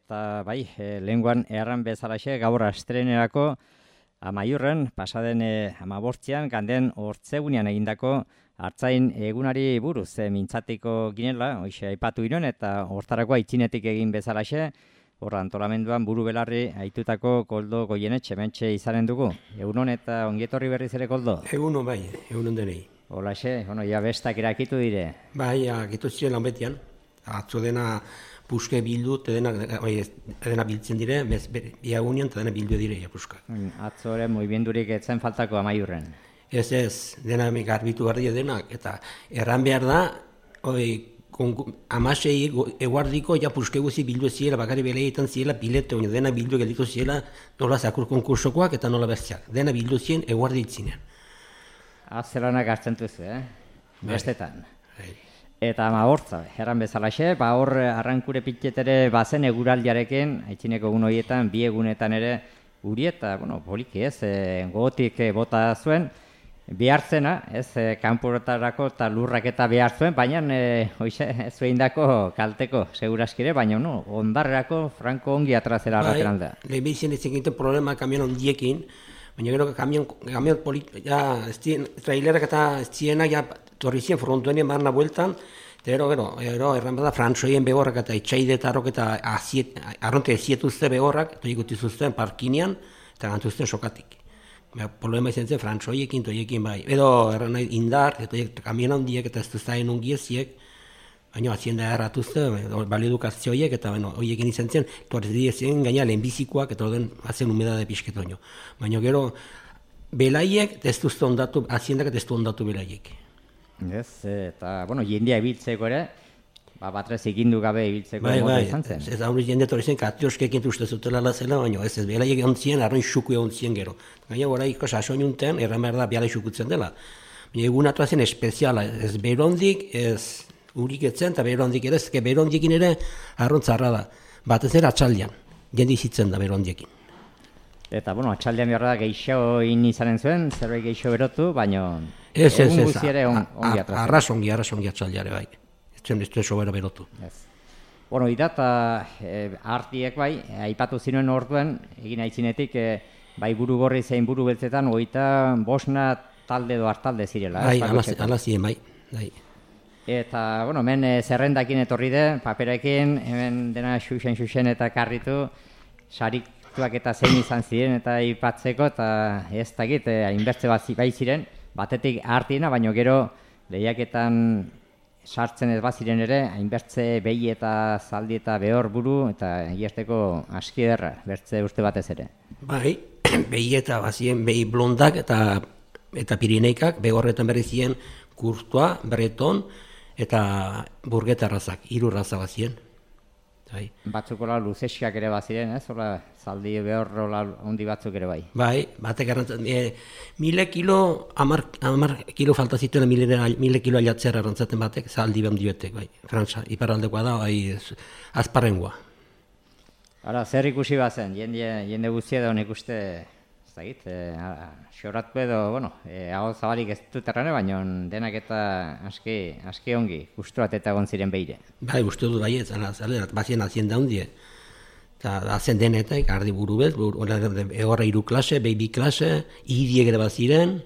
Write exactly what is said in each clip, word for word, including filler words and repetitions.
eta bai, e, lehenguan erran bezalaxe gaur astrenerako amaiurren, pasaden e, amabortzian, ganden hortzegunean egindako hartzain egunari buruz e, mintzatiko ginela, hoxe aipatu inon, eta hortarako aitzinetik egin bezalaxe, horra antolamenduan buru belarri aitutako Koldo Goienetxe mentxe izanen dugu. Egunon eta ongietorri berriz ere, Koldo? Egunon bai, egunon denei. Holaxe, bueno, ja bestak erakitu dire. Bai, akitu ziren lan betian. Atzo dena puske bildu, dena, bai, dena biltzen dire, bez, biagunean, eta dena bildu dire, ja, puska. Atzo ere, moimendurik etzen faltako amaiurren. Ez ez, dena garbitu behar dira denak, eta erran behar da, oi, amasei eguardiko, ja puske guzi bildu ziela, bakari beleetan ziela, bilete, oin, dena bildu gelditu ziela, nola zakur konkursokoak eta nola bestiak. Dena bildu zien eguardi itzinen. Azelanak hartzen duzu, eh? Bestetan. Bai. Eta amagortza, erran bezalaxe, ba hor arrankure pitxetere bazen eguraldiarekin, aitzineko egun horietan, bi egunetan ere, guri eta, bueno, poliki ez, e, gogotik e, bota zuen, behartzena, ez, e, kanporatarako eta lurrak eta behar zuen, baina e, hoxe, ez zuen dako kalteko, seguraskire, baina no, ondarrerako Franco ongi atrazera arraten aldea. Bai, lehibizien ez egiten problema kamion ondiekin, baina gero kamion, kamion polit, ja, estien, trailerak eta estienak, ja, torri zien frontuenien barna bueltan, eta gero, gero, gero, erran bada, frantzoien behorrak eta etxaidetarok eta aziet, arronte ezietuzte behorrak, eta ikutizuzten parkinean, eta gantuzten sokatik. Ba, problema izan zen, frantzoiekin, toiekin bai. Edo, erran nahi indar, eta kamion handiek, eta ez duztaen ongieziek, baina azienda erratuzte, balidukazioiek, eta bueno, horiekin izan zen, torrez dien gaina lehenbizikoak, eta orden azen humedade pixketoño. Baina gero, belaiek, ez duzte ondatu, aziendak ez duzte ondatu belaiek. Ez, eta, bueno, jendea ibiltzeko ere, ba, batrez ikindu gabe ibiltzeko bai, moda bai, izan zen. Ez aurri jende torri zen, katioskekin uste zutela lazela, baina ez ez, belaiek ontzien, arroin xuku ontzien gero. Gaina gora iko sasoin unten, erran behar da, biala xukutzen dela. Baina egun atoa zen espeziala, ez berondik, ez urik etzen, eta berondik ere, ez berondikin ere arrontzarra da. Batez ere atxaldian, jende izitzen da berondiekin. Eta, bueno, atxaldean behar da geixo in izanen zuen, zerbait geixo berotu, baina Ez, ez, egun ez, guzti ere on, ongi atrazten. arras ongi, arras ongi atxaldiare bai. Ez zen ez sobera berotu. Ez. Bueno, ida eta e, artiek bai, aipatu zinuen orduen, egin aitzinetik, e, bai buru gorri zein buru beltzetan, oita bosna talde edo hartalde zirela. Bai, ez, ala ziren bai. bai. Eta, bueno, hemen e, zerrendakin etorri de, paperekin, hemen dena xuxen-xuxen eta karritu, sarituak eta zein izan ziren eta aipatzeko, eta ez dakit, e, hainbertze bat bai ziren, batetik artiena, baino gero lehiaketan sartzen ez baziren ere, hainbertze behi eta zaldi eta behor buru, eta iesteko aski ederra, bertze uste batez ere. Bai, behi eta bazien behi blondak eta eta pirineikak, behorretan berri ziren Kurtua, Breton eta Burgeta razak, hiru raza bazien. Bai. Batzukola luzeskiak ere baziren, ez? Ola, zaldi behor ola ondi batzuk ere bai. Bai, batek arrantzat, e, mile kilo, amar, amar kilo falta zituen mile, mile kilo aliatzera arrantzaten batek, zaldi behar diotek, bai. Frantza, iparraldekoa da, bai, azparrengoa. Hala, zer ikusi bazen, jende, jende guztia da honek uste, ez dakit, e, xoratu edo, bueno, e, hau zabalik ez dut errane, baina denak eta aski, aski ongi, gusturat eta egon ziren behire. Bai, uste dut bai ez, bazien azienda hundie. Eta azen denetak, ardi buru bez, egorra iru klase, behi bi klase, idiek ere baziren,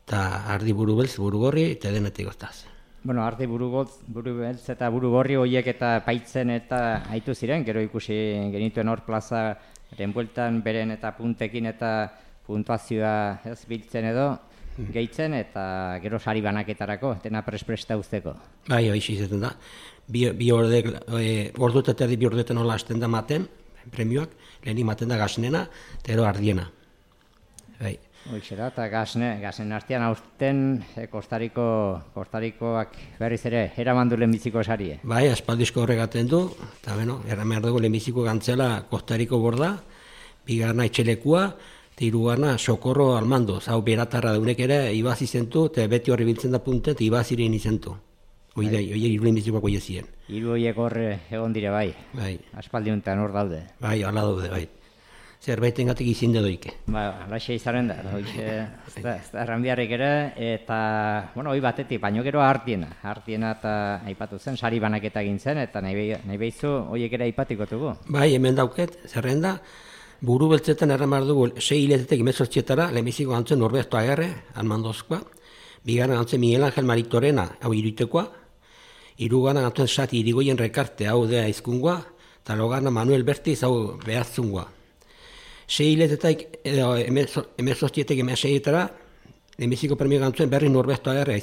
eta ardi buru bez, buru gorri, eta denetik goztaz. Bueno, ardi buru gotz, buru beltz eta buru gorri horiek eta paitzen eta aitu ziren, gero ikusi genituen hor plaza bueltan beren eta puntekin eta puntuazioa ez biltzen edo, gehitzen eta gero sari banaketarako, dena prespresta usteko. Bai, bai, izaten da. Bi, bi ordek, e, ordut eta bi ordetan hola hasten da maten, premioak, lehenik maten da gaznena, eta gero ardiena. Bai. Hoixe da, eta gazne, gazen artean aurten e, Kostariko, Kostarikoak berriz ere, eraman du lehenbiziko sarie. Bai, aspaldizko horregaten du, eta bueno, erramehar dugu lehenbiziko gantzela Kostariko borda, bigarna etxelekua, eta hirugarna sokorro almando, hau beratarra daunek ere, ibaz izentu, eta beti horri biltzen da punten, eta ibaz iren izentu. Oide, oide, hiru lehenbizikoak oie ziren. Hiru horiek hor egon dire bai, bai. aspaldi honetan hor daude. Bai, ala daude, bai. zerbaiten gatik izinde doike. Ba, alaxe izaren da, hoxe, ez da, ez da, erranbiarrik ere, eta, bueno, hoi batetik, baino gero hartiena, hartiena eta aipatu zen, sari banaketa egin zen, eta nahi, nahi behizu, horiek ere aipatikotugu. Bai, hemen dauket, zerrenda, buru beltzetan erramar dugu, sei hiletetek imezortzietara, lehenbiziko gantzen Norberto Agerre, Almandozkoa, bigarren gantzen Miguel Angel Maritorena, hau iruitekoa, hirugarren gantzen Sati Irigoyen Rekarte, hau dea izkungoa, eta logarna Manuel Bertiz, hau behartzungoa. Sei hiletetak, emezortzietek emezeietara, lehenbiziko premio gantzuen berri Norberto Agerre,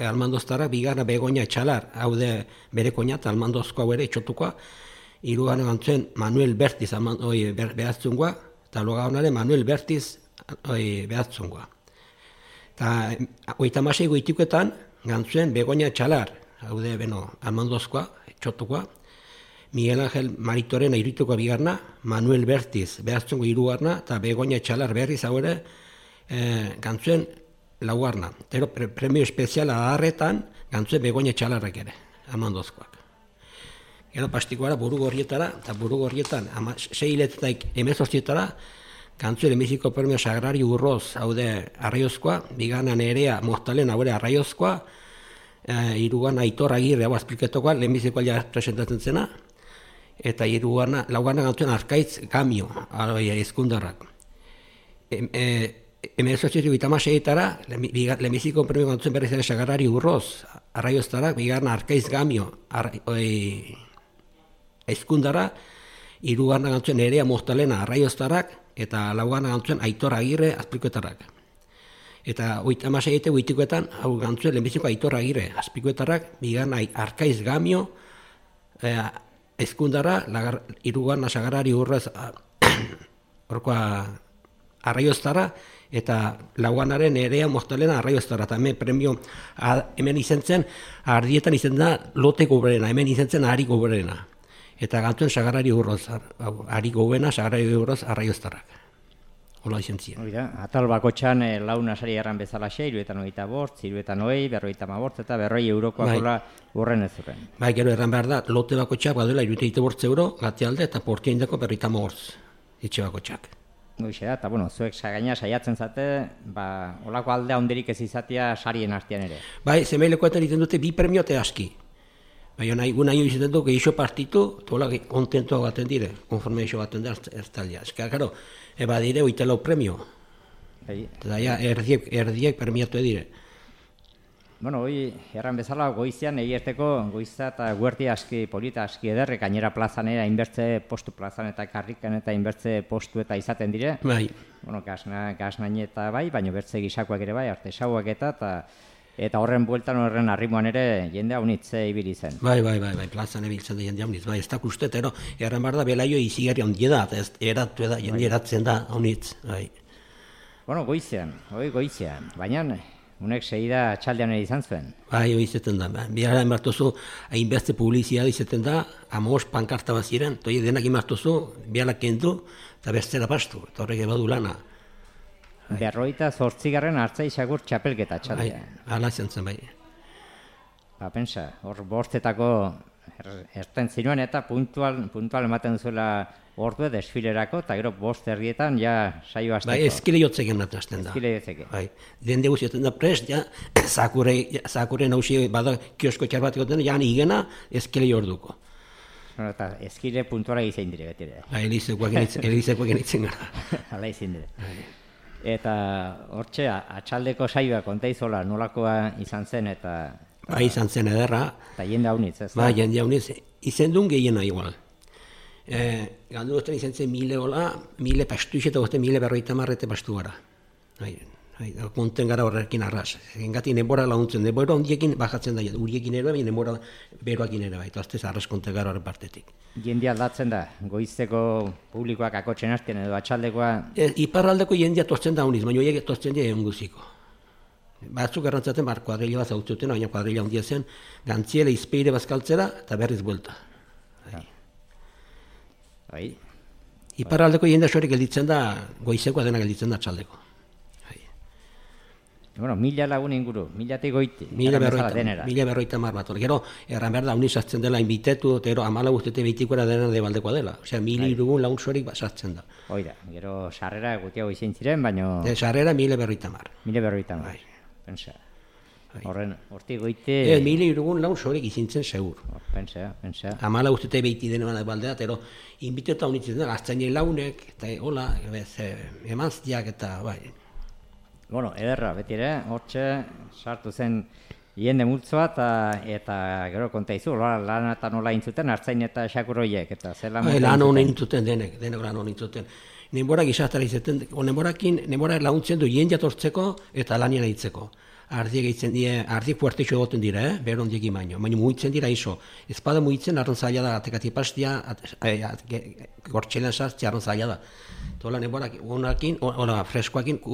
Almandoztara, bigarna Begoña Etxalar, hau de bere koñat, Almandozkoa ere, etxotukoa, hirugarren gantzuen Manuel Bertiz, behartzungoa, eta logarnare Manuel Bertiz, behartzungoa. Eta oita masei goitikoetan, gantzuen Begoña Etxalar, hau de, beno, Almandozkoa, etxotukoa, Miguel Angel Maritorena irituko bigarna, Manuel Bertiz behartzungo hirugarna, eta Begoña Etxalar berriz hau ere e, gantzuen laugarna. Pero pre premio espeziala aharretan gantzuen Begoña Etxalarrak ere, Almandozkoak. Gero pastikoara buru gorrietara, eta buru gorrietan sei hiletetak emezortzietara, gantzuen emiziko premio Sagrario Urroz, hau de Arraiozkoa, bigarna Nerea Moztalen hau ere Arraiozkoa, e, hirugarna Aitor Agirre hau azpliketokoa, lehenbizikoa ja presentatzen zena, eta hirugarna, laugarna gantzuen Arkaitz Gamio, ezkundarrak. Emezortzietiko itamaseietara, lehenbiziko premio gantzuen berriz ere Sagrario Urroz, Arraioztarak, bigarna Arkaitz Gamio, ezkundara, hirugarna gantzuen Nerea Moztalena Arraioztarak, eta laugarna gantzuen Aitor Agirre azpikoetarrak. Eta oita maseiete goitikoetan, hau gantzuen lehenbiziko Aitor Agirre azpikoetarrak, bigarna Arkaitz Gamio, ezkundara, hirugarna Sagrario Urroz orkoa Arraioztara, eta laugarnaren Nerea Moztalena Arraioztara, eta hemen premio, hemen izen zen, ardietan izen da lote goberena, hemen izen zen ari goberena. Eta gantzuen Sagrario Urroz, ari gobena, Sagrario Urroz Arraioztarak. Hola izen ziren. Oida, atal bakotxan e, launa sari erran bezalaxe, iruetan oita bortz, iruetan oi, berroita mabortz, eta berroi eurokoak hola urren ez urren. Bai, gero erran behar da, lote bakotxak baduela iruetan bortz euro, gati alde, eta portia indako berroita mabortz, etxe bakotxak. Goixe da, eta bueno, zuek gaina saiatzen zate, ba, olako aldea honderik ez izatea sarien artean ere. Bai, zemeilekoetan egiten dute bi premio eta aski. Bai, nahi, gu nahi izaten du, geixo partitu, tola kontentua baten dire, konforme eixo baten da ertalia. Ez que, karo, eba dire, oita lau premio. Bai. Eta ja, erdiek, erdiek premiatu edire. Bueno, hoi, erran bezala, goizian egierteko, goiza eta guerti aski, polita aski ederre, gainera plazan ere, hainbertze postu plazan eta karrikan eta hainbertze postu eta izaten dire. Bai. Bueno, gaznain eta bai, baina bertze gisakoak ere bai, artesauak eta, eta eta horren bueltan horren arrimoan ere jende haunitze ibili zen. Bai, bai, bai, bai, plazan ebiltzen da jende haunitz, bai, ez da kustet, ero, erran behar da, belaio izigari handi da, eta ez eratu da, jende eratzen da haunitz, bai. Bueno, goizean, hoi goizean, baina unek segida txaldean ere izan zuen. Bai, hoi izaten da, biara enbartuzu, hainbeste publizia izaten da, amos pankarta bat ziren, toi denak imartuzu, biara kendu, eta bestera pastu, eta horrek ebadu lana. Berroita zortzigarren hartzai xagur txapelketa txaldea. Bai, ala zen zen bai. Ba, pensa, hor bostetako erten zinuen eta puntual, puntual ematen zuela ordue desfilerako, eta gero bost erdietan ja saio hasteko. Bai, eskile jotzeken ematen hasten da. Eskile jotzeke. Bai, dende guztietan da prest, ja, zakure, zakure nausi bada kiosko txar bat egoten, ja igena eskile jorduko. Bueno, eta eskile puntuala izan dire beti ere. Bai, elizekoak genitzen gara. Hala izan dire. Eta hortxe, atxaldeko saioa kontaizola nolakoa izan zen eta... Bai, izan zen ederra. Eta jende haunitz, ez da? Bai, jende haunitz, izen duen gehiena igual. E, Gandu duzten izan zen mile hola, mile pastu izan, eta mile berroita marrete pastu gara. Bai, bai, konten gara horrekin arras. Engati nebora launtzen, nebora ondiekin bajatzen da, uriekin ere, baina nebora beroakin ere, bai, eta aztez arras konten gara horren partetik. Jende aldatzen da, goizteko publikoak akotzen hasten edo atxaldekoa... E, iparraldeko jendea tortzen da honiz, baina horiek tortzen dira egun guziko. Batzuk garrantzaten bar kuadrilla bat zautzuten, baina kuadrilla handia zen, gantziele izpeire bazkaltzera eta berriz buelta. Bai. Bai. Iparraldeko jendea sorik gelditzen da, goizekoa dena gelditzen da atxaldeko. Bai. Bueno, mila lagun inguru, milatik goiti. Mila berroita mar bat. Gero, erran behar da, honi sartzen dela inbitetu, gero amala guztete behitikoera dena debaldekoa dela. Osea, mili irugun lagun sorik sartzen da. Oida, gero sarrera gutiago izin ziren, baina... De sarrera mila berroita mar. Mila berroita mar, pensa. Horren, hortik goite... Ez, mili irugun lagun sorik izintzen segur. Pensa, pensa. Amala guztete behiti dena debaldea, gero, inbitetu honi zitzen dela, aztainei launek, eta hola, emanztiak eta, bai... Bueno, ederra, beti ere, hortxe sartu zen jende multzoa eta, eta gero konta izu, lan eta nola intzuten, hartzain eta xakurroiek, eta zer lan intzuten. Lan honen intzuten denek, denek lan honen intzuten. Nenborak izatara izaten, nenborakin, nenborak laguntzen du jende jatortzeko eta lanien aitzeko. Ardiek eitzen die, ardiek puertexo egoten dira, eh? Behar ondiek imaino, baina mugitzen dira iso. Ezpada mugitzen, arron zaila da, atekati pastia, gortxelan sartzi, arron zaila da. Tola nenborak, onakin, ona, freskoakin,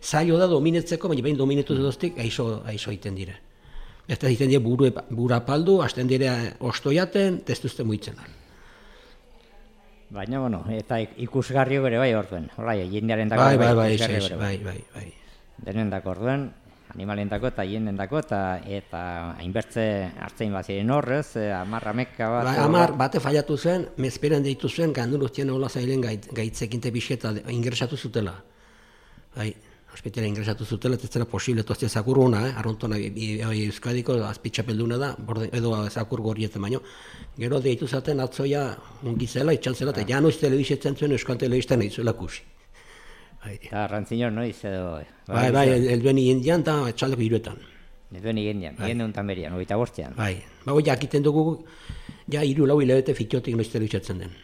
zailo da dominetzeko, baina behin dominetu duztik, aizo egiten dire. Eta egiten dire bura paldu, hasten dire ostoiaten, testuzte muitzen. Baina, bueno, eta ikusgarrio bere bai orduen. Hola, jendearen dako bai, bai, bai, bai, bai, bai. Denen dako orduen, animalien dako eta jenden dako, eta hainbertze hartzein baziren horrez, amar ameka bat... Amar bate fallatu zen, mezperan deitu zen, gandun ustien hola zailen gaitzekinte biseta ingresatu zutela. Bai, hospitala ingresatu zutela, ez zera posible, toztia zakur hona, eh? Arrontona Euskadiko azpitxapelduna da, edo zakur gorrietzen baino. Gero deitu zaten atzoia ungizela, itxan zela, eta janoiz telebizetzen zuen Euskal Telebizten nahi zuela kusi. Eta rantzinor noiz edo... Bai, bai, elduen indian eta etxaldeko iruetan. Elduen indian, egin untan berian, ogeita bortzean. Bai, bago jakiten dugu, ja iru lau hilabete fitxotik noiz telebizetzen den.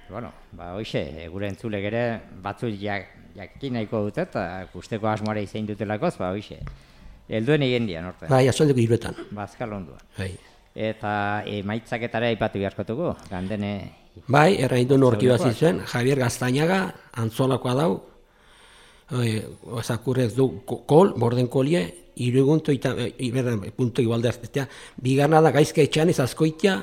Bueno, ba, hoxe, gure entzulek ere batzuk jakin nahiko dute eta guzteko asmoare izain dutelakoz, ba, hoxe, helduen egin dian, orte. Bai, azaldeko iruetan. Ba, azkal onduan. Bai. Eta emaitzaketara aipatu beharkotuko, gandene... Bai, erraindu norki bat zizuen, Javier Gaztainaga, antzolakoa dau, zakurrez du kol, borden kolie, irugunto eta, punto igualde aztetea, bigarna da gaizka etxean ez azkoitea,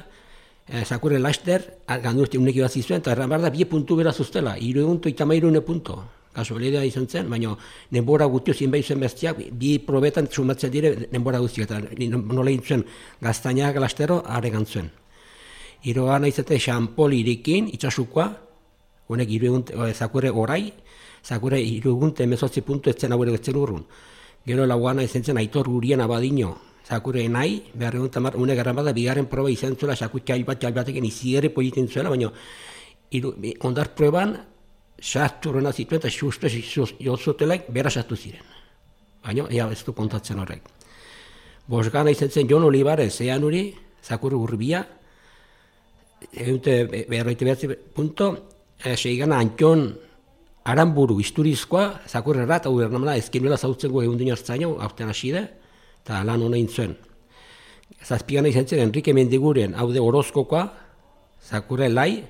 zakurre laster, gandurte uneki bat zizuen, eta erran behar da, bie puntu beraz ustela, irugunto eta mairune punto. Kasualidea izan zen, baina denbora guztio zinbait zen bestiak, bi probetan sumatzen dire denbora guztiak, eta nola intzuen Gaztainaga lastero, are gantzuen. Irogan aizate xampol irikin, itxasukoa, honek irugunt, zakurre orai, zakurre irugunt emezotzi puntu etzen hauere getzen urrun. Gero lauan izan zen aitor gurien abadino, zakurre nahi, behar egun tamar, une garran bada, bigarren proba izan zuela, zakur txail bat, txail batekin iziere politen zuela, baina ondar proban, sartu rena zituen eta xustez jozotelaik bera sartu ziren. Baina, ea ez du kontatzen horrek. Bosgana izan zen Jon Olivares, ean hori, zakurre urbia, egunte berroite behatzi punto, seigana Antion Aramburu Isturizkoa, zakurre rat, hau bernamela, ezkinuela zautzen gu egun dino hartzaino, aurten haside, eta lan hona intzuen. Zazpigana izan zen Enrique Mendiguren, hau de Orozkokoa, zakurre lai,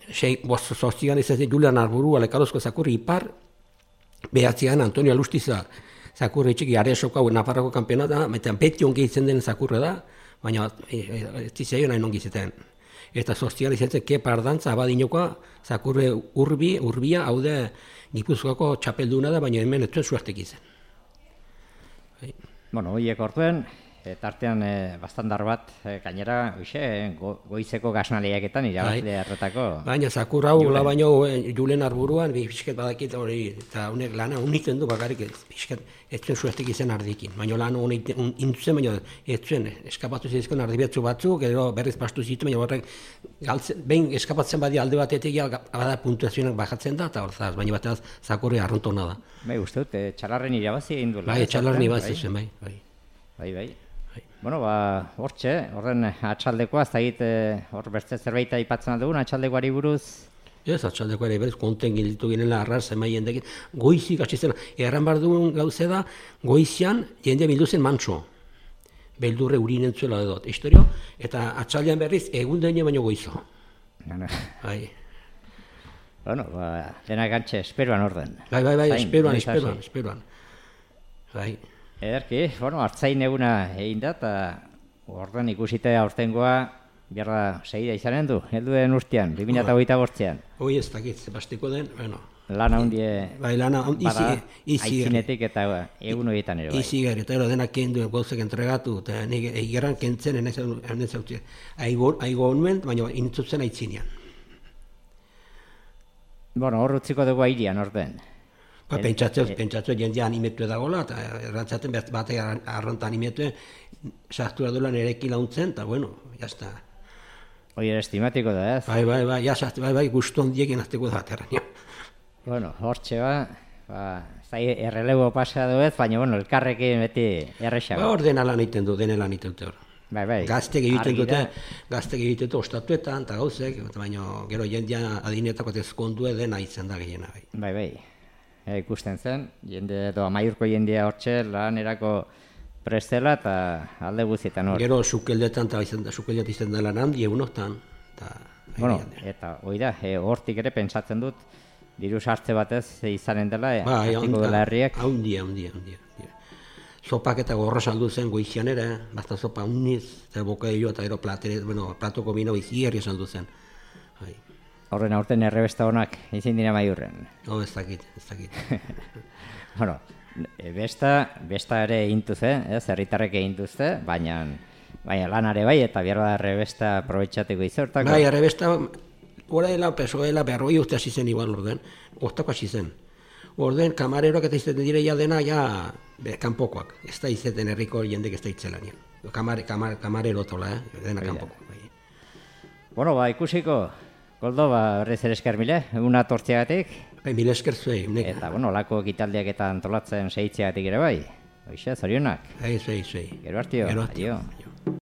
Zoztigan izan zen Julian Arburu, Alekarozko zakurri ipar, behatzigan Antonio Alustiza, zakurre txiki Aresoko, Nafarroko kampeonata, eta beti ongi izan den zakurre da, baina ez dizaio nahi ongi izaten. Eta Zoztigan izan zen Kepa Ardantza, abadinokoa, zakurre urbi, urbia, hau de Gipuzkoako txapelduna da, baina hemen ez zuen suertek izan. Bueno, horiek orduen, tartean bastandar bat, gainera, goizeko gasnaliaketan irabazle erretako. Baina, zakur hau, la baino, Julen Arburuan, pixket badakit hori, eta honek lana uniten du bakarrik, pixket, ez zuen suertek izan ardikin. Baina lan honek intuzen, baina ez zuen, eskapatu zizkon ardibiatzu batzuk, edo berriz pastu zitu, baina horrek, behin eskapatzen badi alde batetik, bada puntuazionak bajatzen da, eta horzaz, baina batez zakurre arrontona da. Bai, uste dut, txalarren irabazi egin duela. Bai, txalarren irabazi zuen, bai, bai. Bai, bai. Bueno, ba, hortxe, horren atxaldekoa, ez da egite hor bertze zerbait aipatzen aldugun, atxaldekoari buruz? Ez, atxaldekoari berez, konten gilditu ginela arrar, zema jendekin, goizik, atxizena, erran behar dugun gauze da, goizian jendea bildu zen mantso, beldurre urinen zuela edot, historio, eta atxaldean berriz, egun dene baino goizo. Bai. Bueno, ba, dena gantxe, esperoan orden. Bai, bai, bai, esperoan, esperoan, esperoan. Bai. Ederki, bueno, hartzain eguna egin da, eta orduan ikusite aurtengoa biarra segida izanen du, helduen urtean, bi mila hogeita bostean. Hoi ez dakit, zebastiko den, bueno, Lan handie bai, lan handi bada, izi, izi. aitzinetik eta egun horietan ere bai. Izi gari, eta ero denak kendu, gauzak entregatu, eta nik egeran kentzen, enez hau aigo honuen, baina intzutzen aitzinean. Bueno, hor utziko dugu airian, orden. Ba, pentsatzeu, pentsatzeu jendea animetu edagola, eta errantzaten batek arronta animetu, sartu edula nerekin launtzen, eta bueno, jazta. Hoi ere estimatiko da, ez? Bai, bai, bai, ja, bai, bai, guztu ondiekin azteko da, terrenio. Bueno, hortxe ba, ba, zai errelebo pasa duet, baina, bueno, elkarrekin beti errexago. Ba, hor dena lan egiten du, dena lan egiten dute hor. Bai, bai. Gaztek egiten dute, gaztek egiten dute ostatuetan, eta gauzek, baina gero jendea adinetako ezkondue dena itzen da gehiena. Bai, bai. bai. E, ikusten zen, jende edo amaiurko jendea hortxe lanerako prestela eta alde guztietan hor. Gero sukeldetan eta sukeldetan izan da lan handi egunotan. Bueno, eta hoi da, e, hortik ere pentsatzen dut, diru sartze batez izanen dela, e, ba, hartiko dela herriek. Haundia, haundia, haundia. Sopak eta gorra saldu zen goizian ere, basta sopa uniz, eta bokailo eta gero platere, bueno, platoko bino izi herri saldu zen. Bai. Horren aurten errebesta honak izin dira maiurren. Oh, ez dakit, ez dakit. Bueno, besta, besta ere intuz, eh? ez, herritarrek egintuzte, baina, baina lanare bai, eta behar da errebesta aprobetxateko izortako. Bai, errebesta, oraela, pesoela, berroi uste hasi zen igual orden, ostako hasi zen. Orden, kamareroak eta izaten direia dena, ja, be, kanpokoak, ez da izaten herriko jendek ez da itzelanean. Kamare, kamar, kamarero tola, eh? dena kanpoko. Bai. Bueno, ba, ikusiko, Koldo, ba, berriz ere esker mile, eguna tortziagatik. Bai, mile esker zuei, uneka. Eta, bueno, lako ekitaldiak eta antolatzen seitziagatik ere bai. Hoxe, zorionak. Bai, zuei, zuei. Gero hartio, Gero hartio. adio.